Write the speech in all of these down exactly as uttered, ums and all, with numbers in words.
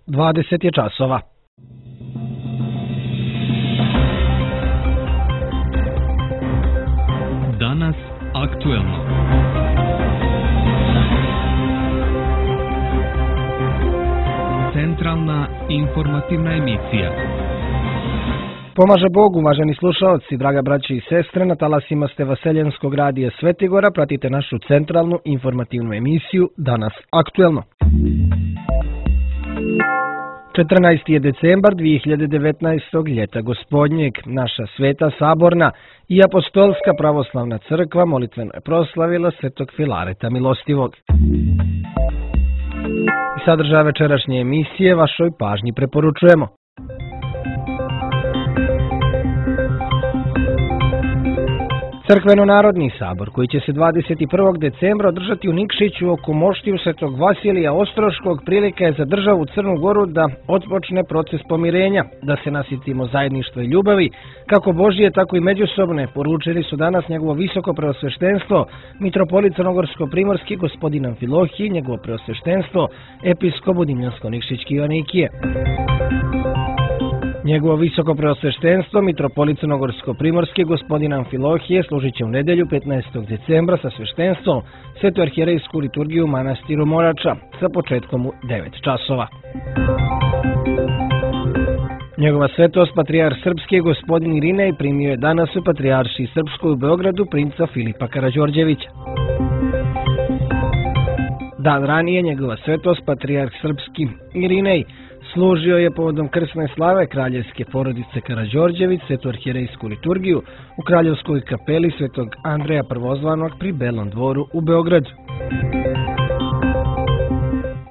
dvadeset je časova. Danas aktuelno. Centralna informativna emisija. Pomaže Bog, uvaženi slušaoci, draga braće i sestre, na talasima ste Vaseljenskog radija Svetigora, pratite našu centralnu informativnu emisiju Danas aktuelno. četrnaesti je decembar dvije hiljade devetnaestog. ljeta gospodnjeg. Naša sveta saborna i apostolska pravoslavna crkva molitveno je proslavila svetog Filareta Milostivog. I sadržaj večerašnje emisije vašoj pažnji preporučujemo. Crkveno-narodni sabor, koji će se dvadeset prvog decembra održati u Nikšiću oko moštiju svetog Vasilija Ostroškog, prilika je za državu Crnu Goru da otpočne proces pomirenja, da se nasitimo zajedništva i ljubavi, kako Božije, tako i međusobne, poručili su danas njegovo visoko preosveštenstvo, mitropolit crnogorsko-primorski gospodin Amfilohije i njegovo preosveštenstvo, episkop Budimljansko-Nikšićki Joanikije. Njegovo visoko preosveštenstvo, mitropolit crnogorsko-primorski gospodin Amfilohije, služit će u nedelju petnaestog decembra sa sveštenstvom svetu arhijerejsku liturgiju u manastiru Morača sa početkom u devet časova. Njegova svetost, patrijarh srpski gospodin Irinej, primio je danas u patrijaršiji srpskoj u Beogradu princa Filipa Karađorđevića. Dan ranije njegova svetost, patrijarh srpski Irinej, služio je povodom krsne slave kraljevske porodice Karađorđević svetu arhijerejsku liturgiju u kraljevskoj kapeli svetog Andreja Prvozvanog pri Belom dvoru u Beogradu.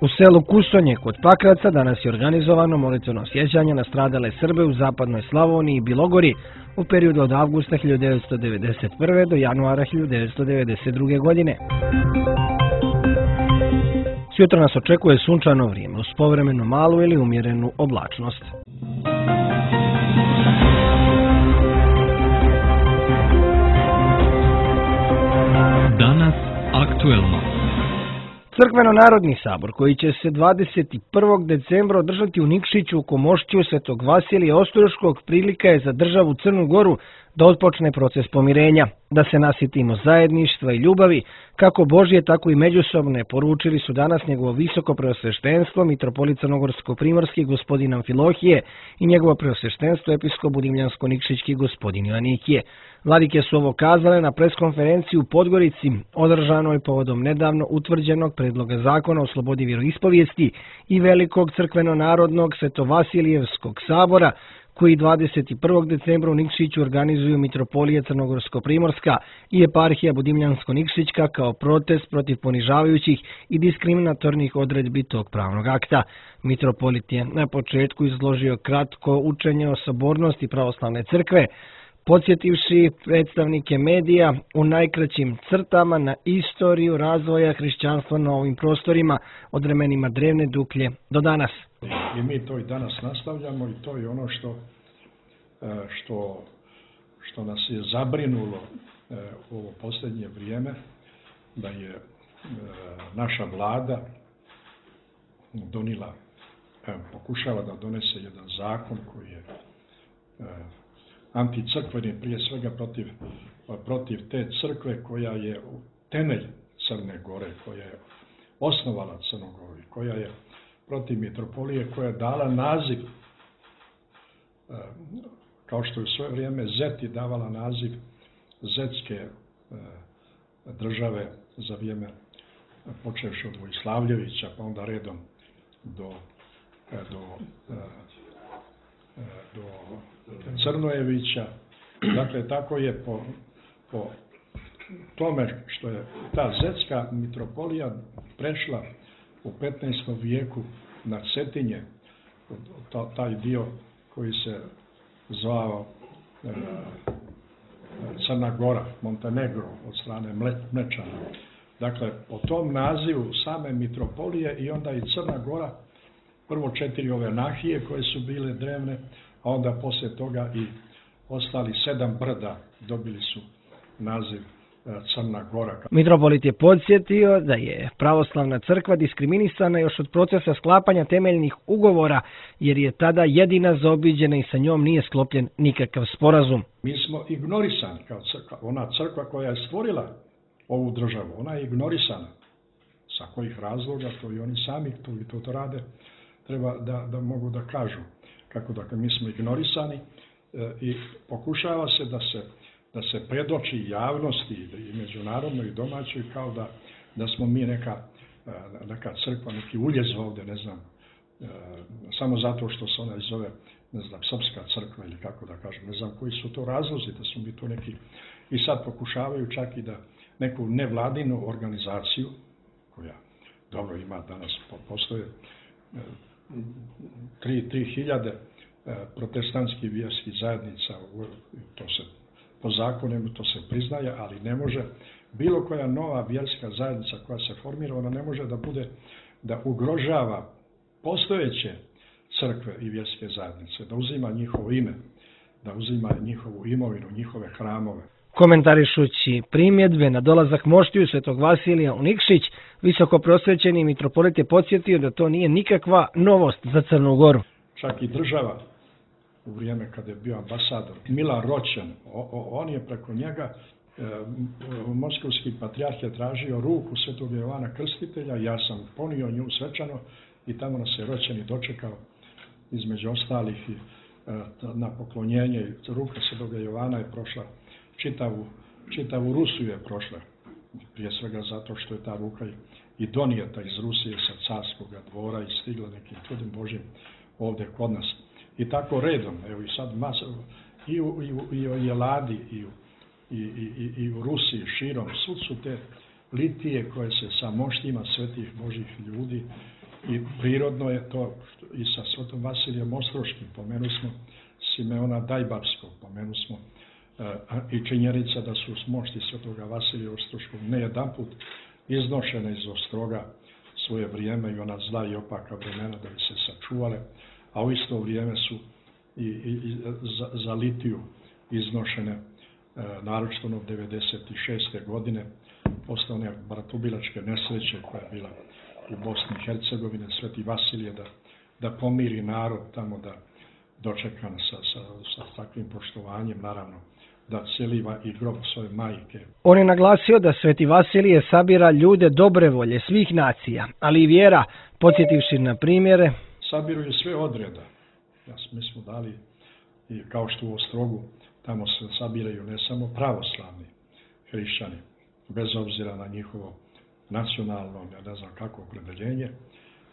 U selu Kusonje kod Pakraca danas je organizovano molitveno sjećanje na stradale Srbe u zapadnoj Slavoniji i Bilogori u periodu od avgusta hiljadu devetsto devedeset prve. do januara hiljadu devetsto devedeset druge. godine. Sutra nas očekuje sunčano vrijeme uz povremeno malu ili umjerenu oblačnost. Danas aktuelno. Crkveno-narodni sabor, koji će se dvadeset prvog decembra održati u Nikšiću oko moštiju svetog Vasilija Ostroškog, prilika je za državu Crnu Goru da otpočne proces pomirenja, da se nasitimo zajedništva i ljubavi, kako Božje, tako i međusobne, poručili su danas njegovo visoko preosveštenstvo, mitropolit crnogorsko-primorski gospodin Amfilohije i njegovo preosveštenstvo, episkop Budimljansko-Nikšićki gospodin Joanikije. Vladike su ovo kazale na preskonferenciji u Podgorici, održanoj povodom nedavno utvrđenog predloga zakona o slobodi vjeroispovijesti i velikog crkveno-narodnog Svetovasilijevskog sabora, koji dvadeset prvog decembra u Nikšiću organizuju mitropolija Crnogorsko-primorska i eparhija Budimljansko-Nikšićka kao protest protiv ponižavajućih i diskriminatornih odredbi tog pravnog akta. Mitropolit je na početku izložio kratko učenje o sabornosti pravoslavne crkve, podsjetivši predstavnike medija u najkraćim crtama na istoriju razvoja hrišćanstva na ovim prostorima od vremenima drevne Duklje do danas. I mi to i danas nastavljamo i to je ono što, što, što nas je zabrinulo u ovo posljednje vrijeme, da je naša vlada donila, pokušava da donese jedan zakon koji je anticrkveni, prije svega protiv, protiv te crkve koja je temelj Crne Gore, koja je osnovala Crnu Goru, koja je protiv mitropolije, koja je dala naziv, kao što je u svoje vrijeme Zeti davala naziv Zetske države za vrijeme počevši od Vojslavljevića, pa onda redom do, do, do Crnojevića. Dakle, tako je po, po tome što je ta Zetska mitropolija prešla u petnaestom vijeku na Cetinje, taj dio koji se zvao e, Crna Gora, Montenegro od strane Mlečana. Dakle, po tom nazivu same mitropolije i onda i Crna Gora, prvo četiri ove nahije koje su bile drevne, a onda poslije toga i ostali sedam brda dobili su naziv Crna Gora. Mitropolit je podsjetio da je pravoslavna crkva diskriminisana još od procesa sklapanja temeljnih ugovora, jer je tada jedina zaobiđena i sa njom nije sklopljen nikakav sporazum. Mi smo ignorisani kao crkva. Ona crkva koja je stvorila ovu državu, ona je ignorisana. Sa kojih razloga, to i oni sami to i to, to rade, treba da, da mogu da kažu. Kako da mi smo ignorisani e, i pokušava se da se da se predoči javnosti i međunarodnoj i domaćoj kao da, da smo mi neka, neka crkva, neki uljez ovdje, ne znam, samo zato što se ona zove, ne znam, srpska crkva ili kako da kažem, ne znam koji su to razlozi, da su mi to neki, i sad pokušavaju čak i da neku nevladinu organizaciju, koja dobro ima danas, postoje tri hiljade protestantskih vjerskih zajednica, to se po zakonima to se priznaje, ali ne može bilo koja nova vjerska zajednica koja se formira, ona ne može da bude, da ugrožava postojeće crkve i vjerske zajednice, da uzima njihovo ime, da uzima njihovu imovinu, njihove hramove. Komentarišući primjedbe na dolazak moštiju Svetog Vasilija u Nikšić, visoko prosvećeni mitropolit je podsjetio da to nije nikakva novost za Crnu Goru. Čak i država, u vrijeme kada je bio ambasador Milan Roćan, on je preko njega, e, moskovski patrijarh je tražio ruku Svetog Jovana Krstitelja, ja sam ponio nju svečano i tamo nas je Roćan i dočekao, između ostalih i, e, na poklonjenje. Ruka Svetog Jovana je prošla čitavu, čitavu Rusiju je prošla, prije svega zato što je ta ruka i donijeta iz Rusije sa carskog dvora i stigla nekim čudim Božim ovdje kod nas. I tako redom, evo i sad masa, i u, i u, i u Jeladi, i u, i, i, i u Rusiji, širom, svud su te litije koje se sa moštima svetih Božih ljudi i prirodno je to i sa Svetom Vasilijem Ostroškim, pomenu smo Simeona Dajbavskog, pomenu smo uh, i činjenica da su mošti Svetoga Vasilija Ostroškog ne jedanput iznošene iz Ostroga svoje vrijeme i ona zla i opaka vremena da bi se sačuvale, a u isto vrijeme su i, i, i za, za litiju iznošene, e, naročito od devedeset šeste. godine, posle one bratubilačke nesreće koja je bila u Bosni i Hercegovini, Sveti Vasilije da, da pomiri narod tamo, da dočekan sa, sa, sa takvim poštovanjem, naravno, da celiva i grob svoje majke. On je naglasio da Sveti Vasilije sabira ljude dobre volje svih nacija, ali i vjera, podsjetivši na primjere. Sabiruju sve odreda. Ja, mi smo dali, i kao što u Ostrogu, tamo se sabiraju ne samo pravoslavni hrišćani, bez obzira na njihovo nacionalno, ne znam kako opredeljenje,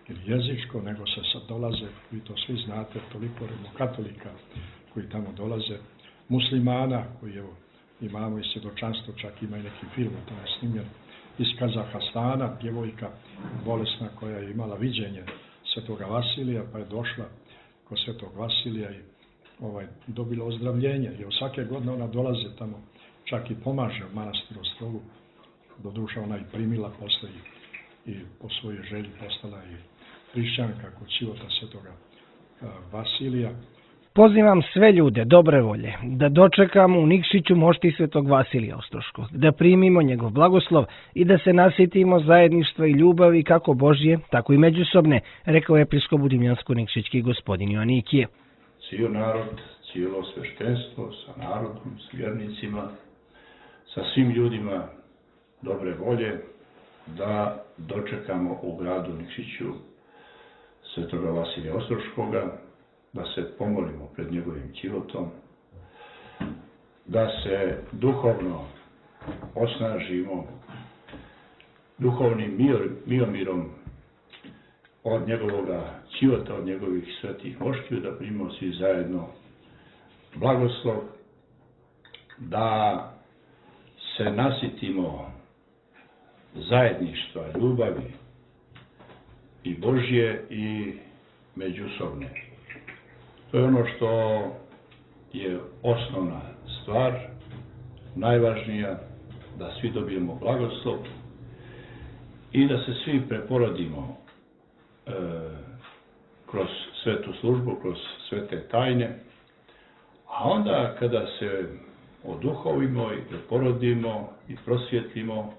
ili jezičko, nego se sad dolaze, vi to svi znate, toliko katolika koji tamo dolaze, muslimana, koji evo, imamo i svjedočanstvo, čak ima i neki film tamo snimljen, iz Kazahstana, djevojka bolesna koja je imala viđenje Svetoga Vasilija, pa je došla kod Svetog Vasilija i ovaj, dobila ozdravljenje. I svake godine ona dolaze tamo, čak i pomaže u manastiru Ostrogu. Doduša ona i primila posle i, i po svojoj želji postala i hrišćanka kod čivota Svetoga a, Vasilija. Pozivam sve ljude dobre volje da dočekamo u Nikšiću mošti Svetog Vasilija Ostroškog, da primimo njegov blagoslov i da se nasjetimo zajedništva i ljubavi kako Božje, tako i međusobne, rekao je episkop Budimljansko-Nikšićki gospodin Joanikije. Cijel narod, cijelo sveštenstvo sa narodom, s vjernicima, sa svim ljudima dobre volje da dočekamo u gradu Nikšiću Svetoga Vasilija Ostroškoga, da se pomolimo pred njegovim ćilotom, da se duhovno osnažimo duhovnim miomirom od njegovoga ćilota, od njegovih svetih moštiju, da primimo svi zajedno blagoslov, da se nasitimo zajedništva, ljubavi i Božje i međusobne. To je ono što je osnovna stvar, najvažnija, da svi dobijemo blagoslov i da se svi preporodimo e, kroz svetu službu, kroz svete tajne, a onda kada se oduhovimo i da porodimo i prosvjetlimo,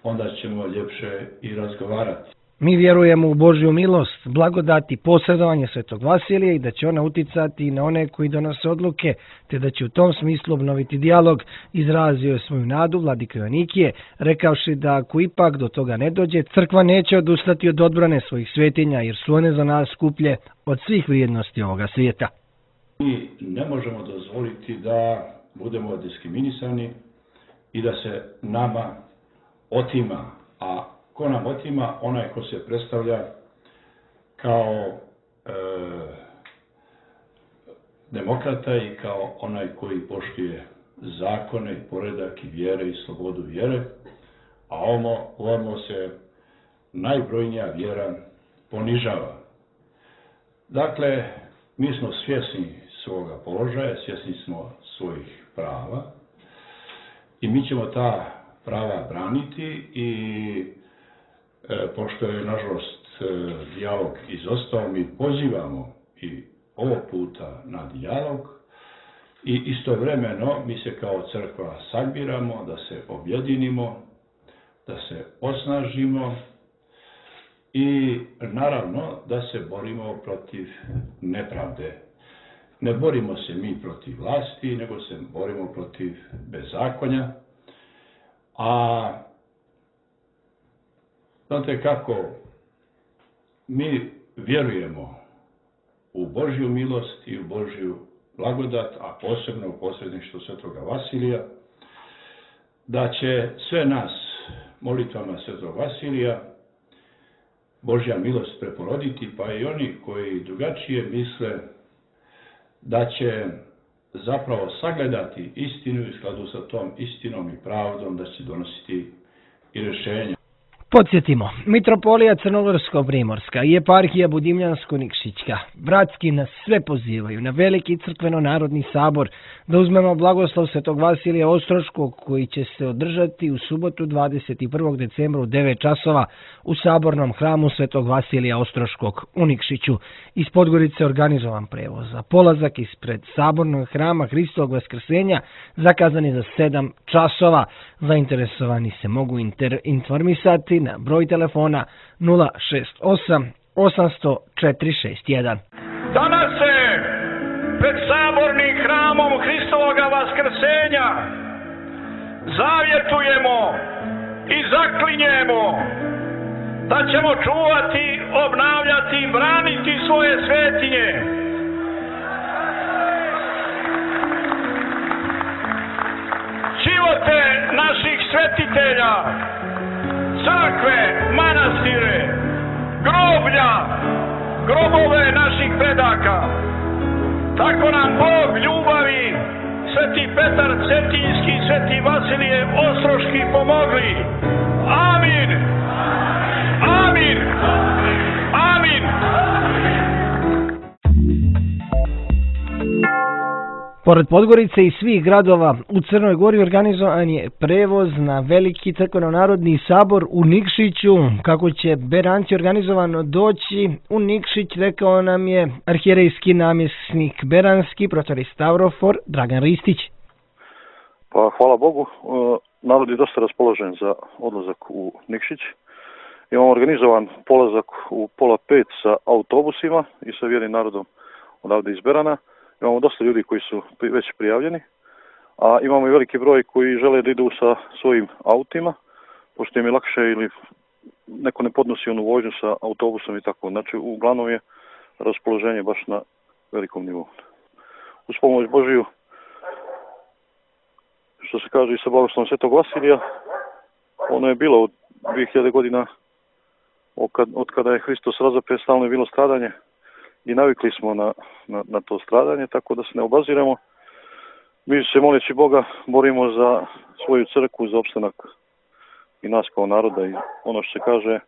onda ćemo ljepše i razgovarati. Mi vjerujemo u Božju milost, blagodat i posredovanje Svetog Vasilija i da će ona uticati na one koji donose odluke, te da će u tom smislu obnoviti dijalog. Izrazio je svoju nadu vladika Joanikije, rekavši da ako ipak do toga ne dođe, crkva neće odustati od odbrane svojih svetinja, jer su one za nas skuplje od svih vrijednosti ovoga svijeta. Mi ne možemo dozvoliti da budemo diskriminisani i da se nama otima, a ko nam otima? Onaj ko se predstavlja kao e, demokrata i kao onaj koji poštuje zakone i poredak i vjere i slobodu vjere, a ovo, ovo se najbrojnija vjera ponižava. Dakle, mi smo svjesni svoga položaja, svjesni smo svojih prava i mi ćemo ta prava braniti i E, pošto je, nažalost, e, dijalog izostao, mi pozivamo i ovog puta na dijalog i istovremeno mi se kao crkva sabiramo, da se objedinimo, da se osnažimo i naravno da se borimo protiv nepravde. Ne borimo se mi protiv vlasti, nego se borimo protiv bezakonja, a znate kako, mi vjerujemo u Božju milost i u Božju blagodat, a posebno u posredništvo Svetoga Vasilija, da će sve nas molitvama Svetog Vasilija Božja milost preporoditi, pa i oni koji drugačije misle da će zapravo sagledati istinu i u skladu sa tom istinom i pravdom da će donositi i rješenja. Podsjetimo, Mitropolija Crnogorsko-Primorska i Eparhija Budimljansko-Nikšićka bratski nas sve pozivaju na veliki crkveno-narodni sabor da uzmemo blagoslov Svetog Vasilija Ostroškog koji će se održati u subotu dvadeset prvog decembra u devet časova u sabornom hramu Svetog Vasilija Ostroškog u Nikšiću. Iz Podgorice organizovan prevoz za polazak ispred sabornog hrama Hristovog Vaskrsenja zakazan je za sedam časova. Zainteresovani se mogu inter informisati na broj telefona nula šest osam osamsto četiri šest jedan. Danas se pred sabornim hramom Hristovoga Vaskrsenja zavjetujemo i zaklinjemo da ćemo čuvati, obnavljati i braniti svoje svetinje. Živote naših svetitelja, crkve, manastire, groblja, grobove naših predaka. Tako nam Bog ljubavi, Sveti Petar Cetinjski i Sveti Vasilije Ostroški pomogli. Amin! Amin! Amin! Pored Podgorice i svih gradova u Crnoj Gori organizovan je prevoz na veliki crkveno-narodni sabor u Nikšiću. Kako će beranci organizovano doći u Nikšić, rekao nam je arhijerejski namjesnik beranski, protor Stavrofor, Dragan Ristić. Pa hvala Bogu, narod je dosta raspoložen za odlazak u Nikšić. Imamo organizovan polazak u pola pet sa autobusima i sa vjernim narodom odavde iz Berana. Imamo dosta ljudi koji su već prijavljeni, a imamo i veliki broj koji žele da idu sa svojim autima, pošto im je lakše ili neko ne podnosi onu vožnju sa autobusom i tako. Znači, uglavnom je raspoloženje baš na velikom nivou. Uz pomoć Božiju, što se kaže i sa blagoslovom Svetog Vasilija, ono je bilo od dvije hiljade godina, od kada je Hristos razapet, stalno je bilo stradanje. I navikli smo na, na, na to stradanje, tako da se ne obaziramo. Mi se, moleći Boga, borimo za svoju crkvu, za opstanak i nas kao naroda. I ono što se kaže,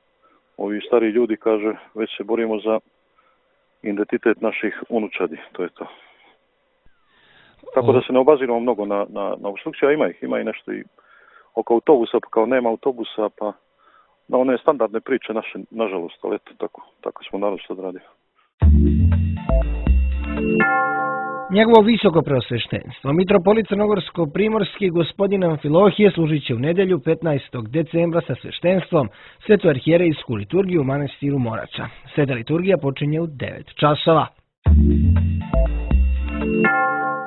ovi stari ljudi kaže, već se borimo za identitet naših unučadi. To je to. Tako da se ne obaziramo mnogo na, na, na obstrukciju, a ima ih. Ima i nešto i oko autobusa, pa kao nema autobusa, pa na one standardne priče naše, nažalost, ali eto, tako, tako smo narod što odradili. Njegovo visoko preosveštenstvo, mitropolit Crnogorsko-primorski gospodin Amfilohije služit će u nedjelju petnaestog decembra sa sveštenstvom svetoarhijerejsku liturgiju u manastiru Morača. Sveta liturgija počinje u devet časova.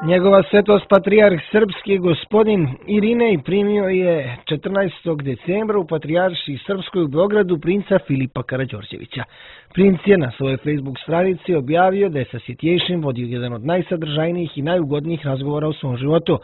Njegova svetost patrijarh srpski gospodin Irinej primio je četrnaestog decembra u patrijaršiji srpskoj u Beogradu princa Filipa Karađorđevića. Princ je na svojoj Facebook stranici objavio da je sa Sitjejšim vodio jedan od najsadržajnijih i najugodnijih razgovora u svom životu.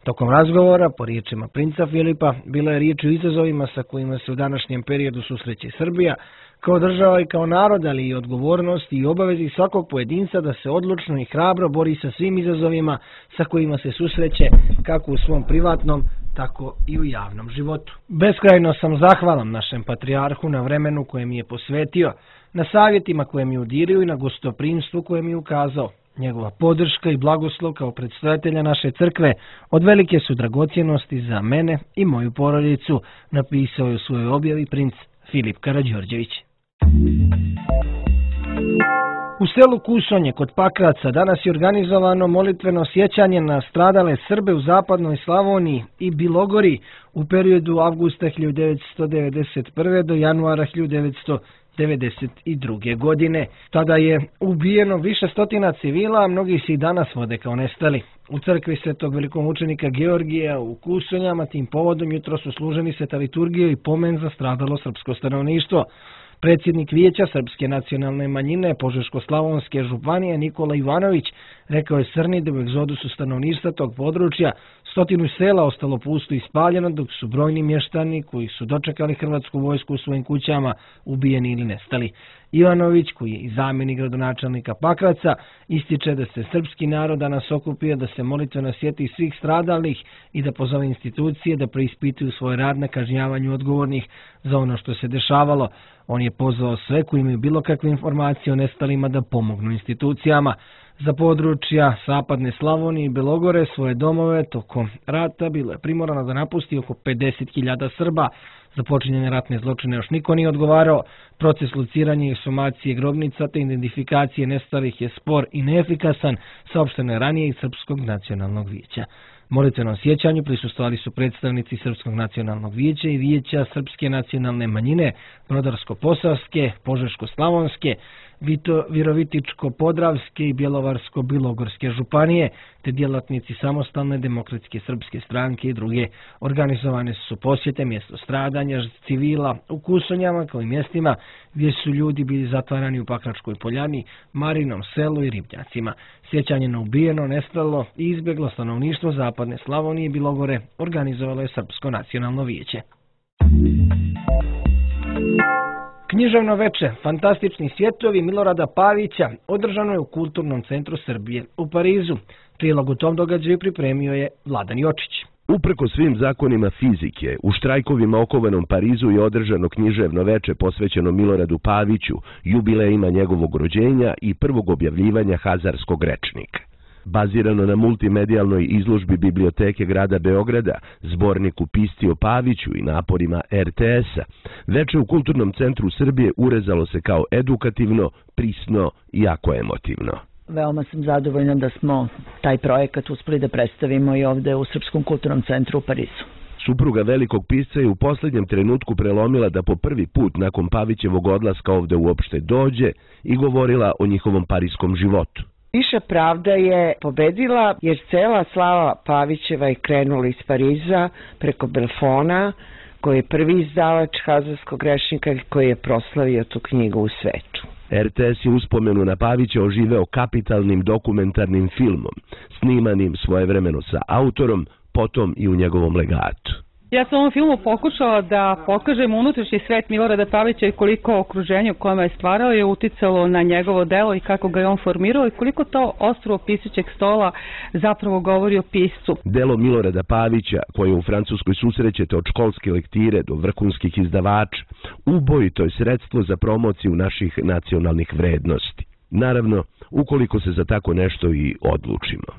Tokom razgovora, po riječima princa Filipa, bila je riječ o izazovima sa kojima se u današnjem periodu susreće Srbija, kao država i kao narod, ali i odgovornosti i obavezi svakog pojedinca da se odlučno i hrabro bori sa svim izazovima sa kojima se susreće kako u svom privatnom, tako i u javnom životu. Beskrajno sam zahvalan našem patrijarhu na vremenu koje mi je posvetio, na savjetima koje mi udirio i na gostoprimstvu koje mi je ukazao. Njegova podrška i blagoslov kao predstojatelja naše crkve od velike su dragocjenosti za mene i moju porodicu, napisao je u svojoj objavi princ Filip Karađorđević. U selu Kusonje kod Pakraca danas je organizovano molitveno sjećanje na stradale Srbe u zapadnoj Slavoniji i Bilogori u periodu avgusta hiljadu devetsto devedeset prve. do januara hiljadu devetsto devedeset druge. godine. Tada je ubijeno više stotina civila, a mnogi se i danas vode kao nestali. U crkvi svetog velikomučenika Georgija u Kusonjama tim povodom jutro su služeni sveta liturgija i pomen za stradalo srpsko stanovništvo. Predsjednik Vijeća Srpske nacionalne manjine Požeško-slavonske županije Nikola Ivanović rekao je Srni da u egzodusu stanovništva tog područja stotinu sela ostalo pusto i spaljeno, dok su brojni mještani koji su dočekali hrvatsku vojsku u svojim kućama ubijeni ili nestali. Ivanović, koji je i zamjenik gradonačelnika Pakraca, ističe da se srpski narod danas okupio da se molitveno sjeti svih stradalih i da pozove institucije da preispituju svoj rad na kažnjavanju odgovornih za ono što se dešavalo. On je pozvao sve koji imaju bilo kakve informacije o nestalima da pomognu institucijama. Za područja Zapadne Slavonije i Belogore svoje domove tokom rata bilo je primorano da napusti oko pedeset hiljada Srba. Za počinjene ratne zločine još niko nije odgovarao. Proces lociranja i eksumacije grobnica te identifikacije nestalih je spor i neefikasan, saopšteno je ranije iz Srpskog nacionalnog vijeća. Molitvenom sjećanju prisustvovali su predstavnici Srpskog nacionalnog vijeća i Vijeća Srpske nacionalne manjine, Brodarsko-posavske, Požeško-slavonske, Virovitičko-podravske i Bjelovarsko-bilogorske županije, te djelatnici Samostalne demokratske srpske stranke i druge. Organizovane su posjete mjesto stradanja civila u Kusonjama kao i mjestima gdje su ljudi bili zatvarani u Pakračkoj poljani, Marinom selu i Ribnjacima. Sjećanje na ubijeno, nestalo i izbjeglo stanovništvo Zapadne Slavonije i Bilogore organizovalo je Srpsko nacionalno vijeće. Književno veče, fantastični svjetovi Milorada Pavića održano je u Kulturnom centru Srbije u Parizu. Prilog u tom događaju pripremio je Vladan Jočić. Uprko svim zakonima fizike, u štrajkovima okovanom Parizu je održano književno veče posvećeno Miloradu Paviću, jubilejima njegovog rođenja i prvog objavljivanja Hazarskog rečnika. Bazirano na multimedijalnoj izložbi Biblioteke grada Beograda, zborniku Pisci o Paviću i naporima er te es-a, veče u Kulturnom centru Srbije urezalo se kao edukativno, prisno i jako emotivno. Veoma sam zadovoljna da smo taj projekat uspeli da predstavimo i ovde u Srpskom kulturnom centru u Parizu. Supruga velikog pisca je u posljednjem trenutku prelomila da po prvi put nakon Pavićevog odlaska ovde uopšte dođe i govorila o njihovom parijskom životu. Viša pravda je pobedila jer cela slava Pavićeva je krenula iz Pariza preko Belfona, koji je prvi izdavač Hazarskog rečnika i koji je proslavio tu knjigu u svetu. er te es je uspomenu na Pavića oživeo kapitalnim dokumentarnim filmom, snimanim svojevremeno sa autorom, potom i u njegovom legatu. Ja sam u ovom filmu pokušala da pokažem unutrašnji svet Milorada Pavića i koliko okruženje u kojem je stvarao je uticalo na njegovo delo i kako ga je on formirao i koliko to ostrvo pisaćeg stola zapravo govori o piscu. Delo Milorada Pavića, koje u Francuskoj susrećete od školske lektire do vrhunskih izdavača, ubojito je sredstvo za promociju naših nacionalnih vrednosti. Naravno, ukoliko se za tako nešto i odlučimo.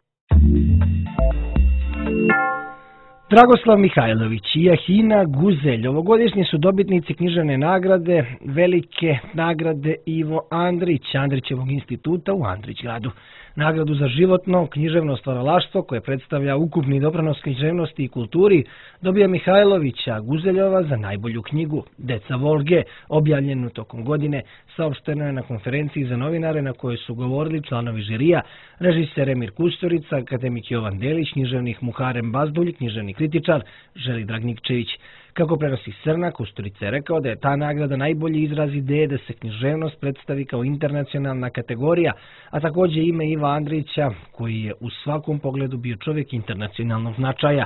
Dragoslav Mihajlović i Jahina Guzelj ovogodišnji su dobitnici književne nagrade Velike nagrade Ivo Andrić, Andrićevog instituta u Andrićgradu. Nagradu za životno književno stvaralaštvo koje predstavlja ukupni doprinos književnosti i kulturi dobija Mihajlovića Guzeljova za najbolju knjigu Deca Volge, objavljenu tokom godine, saopšteno je na konferenciji za novinare na kojoj su govorili članovi žirija, režiser Emir Kusturica, akademik Jovan Delić, književnik Muharem Bazdulj, književni kritičar Želi Dragnikčević. Kako prenosi Srna, Kusturica je rekao da je ta nagrada najbolji izraz ideje da se književnost predstavi kao internacionalna kategorija, a također ime Iva Andrića, koji je u svakom pogledu bio čovjek internacionalnog značaja.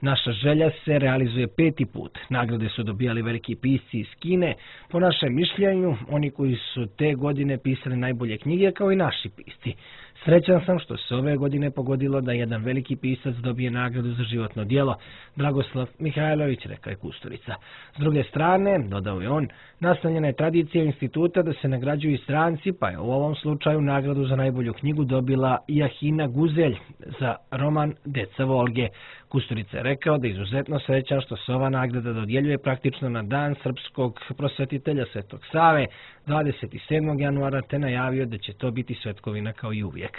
Naša želja se realizuje peti put. Nagrade su dobijali veliki pisci iz Kine. Po našem mišljenju, oni koji su te godine pisali najbolje knjige kao i naši pisci. Srećan sam što se ove godine pogodilo da jedan veliki pisac dobije nagradu za životno djelo. Dragoslav Mihajlović, rekao je Kusturica. S druge strane, dodao je on, nastavljena je tradicija instituta da se nagrađuju i stranci, pa je u ovom slučaju nagradu za najbolju knjigu dobila Jahina Guzelj za roman Deca Volge. Kusturica je rekao da je izuzetno srećan što se ova nagrada dodjeljuje praktično na dan srpskog prosvetitelja Svetog Save, dvadeset sedmog januara, te najavio da će to biti svetkovina kao i uvijek.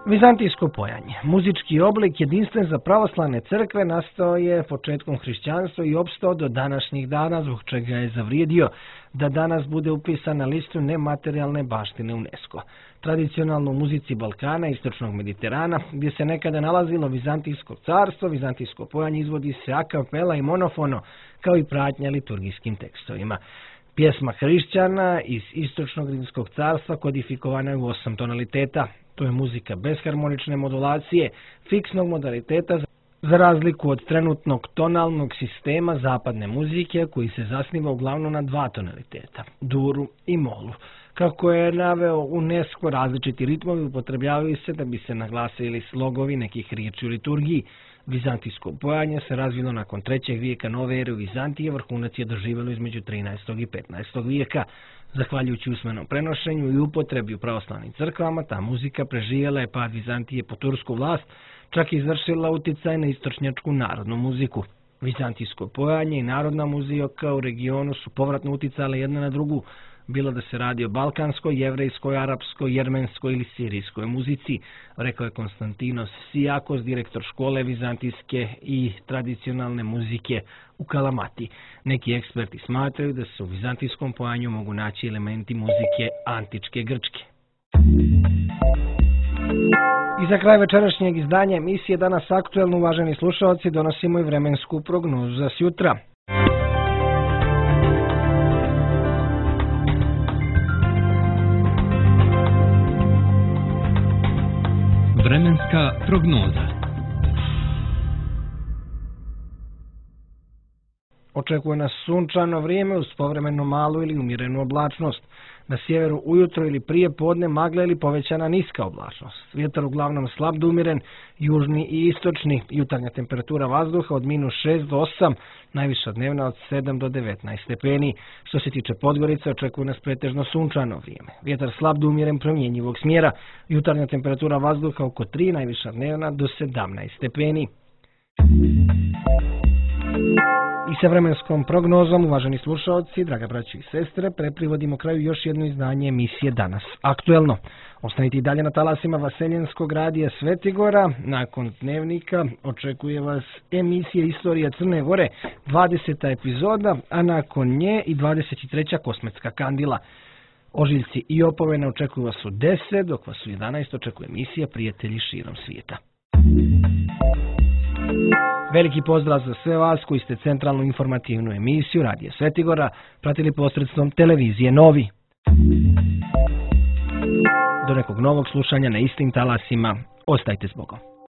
Vizantijsko pojanje. Muzički oblik jedinstven za pravoslavne crkve nastao je početkom hrišćanstva i opstao do današnjih dana, zbog čega je zavrijedio da danas bude upisan na listu nematerijalne baštine UNESCO. Tradicionalno u muzici Balkana i istočnog Mediterana, gdje se nekada nalazilo Vizantijsko carstvo, vizantijsko pojanje izvodi se a kapela i monofono, kao i pratnja liturgijskim tekstovima. Pjesma hrišćana iz istočnog Rimskog carstva kodifikovana je u osam tonaliteta. To je muzika bez harmonične modulacije, fiksnog modaliteta, za razliku od trenutnog tonalnog sistema zapadne muzike koji se zasniva uglavnom na dva tonaliteta, duru i molu. Kako je naveo UNESCO, različiti ritmovi upotrebljavaju se da bi se naglasili slogovi nekih riječi u liturgiji. Vizantijsko pojanje se razvilo nakon trećeg vijeka nove ere u Vizantije, vrhunac je doživjelo između trinaestog i petnaestog vijeka. Zahvaljujući usmenom prenošenju i upotrebi u pravoslavnim crkvama, ta muzika preživjela je pad Vizantije po tursku vlast, čak i izvršila uticaj na istočnjačku narodnu muziku. Vizantijsko pojanje i narodna muzika u regionu su povratno uticale jedna na drugu, bilo da se radi o balkanskoj, jevrejskoj, arapskoj, jermenskoj ili sirijskoj muzici, rekao je Konstantinos Sijakos, direktor škole vizantijske i tradicionalne muzike u Kalamati. Neki eksperti smatraju da se u vizantijskom pojanju mogu naći elementi muzike antičke Grčke. I za kraj večerašnjeg izdanja emisije Danas aktuelno, uvaženi slušalci, donosimo i vremensku prognozu za sjutra. Vremenska prognoza. Očekuje nas sunčano vrijeme uz povremeno malu ili umjerenu oblačnost. Na sjeveru ujutro ili prije podne magla ili povećana niska oblačnost. Vjetar uglavnom slab do umjeren, južni i istočni. Jutarnja temperatura vazduha od minus šest do osam, najviša dnevna od sedam do devetnaest stepeni. Što se tiče Podgorice, očekuje nas pretežno sunčano vrijeme. Vjetar slab do umjeren, promjenjivog smjera. Jutarnja temperatura vazduha oko tri, najviša dnevna do sedamnaest stepeni. I sa vremenskom prognozom, uvaženi slušalci, draga braći i sestre, preprivodimo kraju još jedno izdanje emisije Danas aktuelno. Ostanite i dalje na talasima Vaseljenskog radija Svetigora. Nakon dnevnika očekuje vas emisija Istorija Crne Gore, dvadeseta epizoda, a nakon nje i dvadeset treća Kosmetska kandila. Ožiljci i opomene očekuju vas u deset, dok vas u jedanaest očekuje emisija Prijatelji širom svijeta. Veliki pozdrav za sve vas koji ste centralnu informativnu emisiju Radija Svetigora pratili posredstvom televizije Novi. Do nekog novog slušanja na istim talasima, ostajte s Bogom.